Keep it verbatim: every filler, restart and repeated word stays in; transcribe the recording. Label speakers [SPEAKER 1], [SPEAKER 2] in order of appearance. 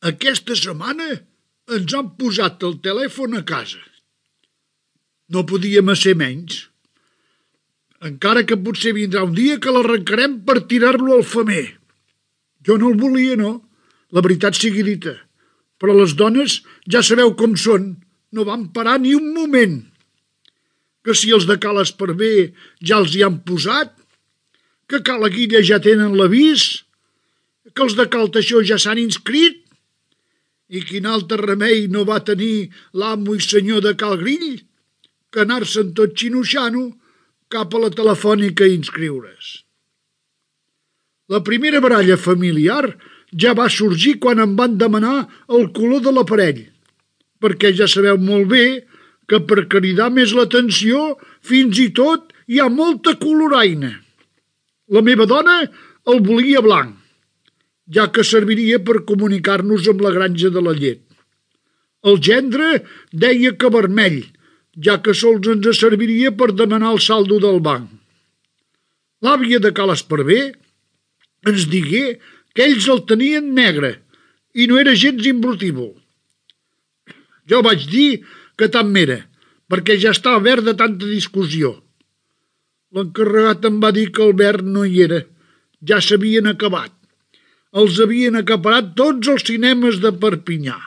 [SPEAKER 1] Aquesta setmana ens han posat el telèfon a casa. No podíem ser menys. Encara que potser vindrà un dia que l'arrencarem per tirar-lo al femer. Jo no el volia, no, la veritat sigui dita. Però les dones ja sabeu com són, no van parar ni un moment. Que si els de Cal Esparver ja els hi han posat, que a Cala Guilla ja tenen l'avís, que els de Cal Teixó ja s'han inscrit, i quin altre remei no va tenir l'amo i senyor de Cal Grill que anar-se'n tot xinoxano cap a la telefònica a inscriure's. La primera baralla familiar ja va sorgir quan em van demanar el color de l'aparell, perquè ja sabeu molt bé que per cridar més l'atenció fins i tot hi ha molta coloraina. La meva dona el volia blanc, ja que serviria per comunicar-nos amb la granja de la llet. El gendre deia que vermell, ja que sols ens serviria per demanar el saldo del banc. L'àvia de Cal Esparver ens digué que ells el tenien negre i no era gens imbrutível. Jo vaig dir que tant m'era, perquè ja estava verd de tanta discussió. L'encarregat em va dir que el verd no hi era, ja s'havien acabat. Els havien acaparat tots els cinemes de Perpinyà.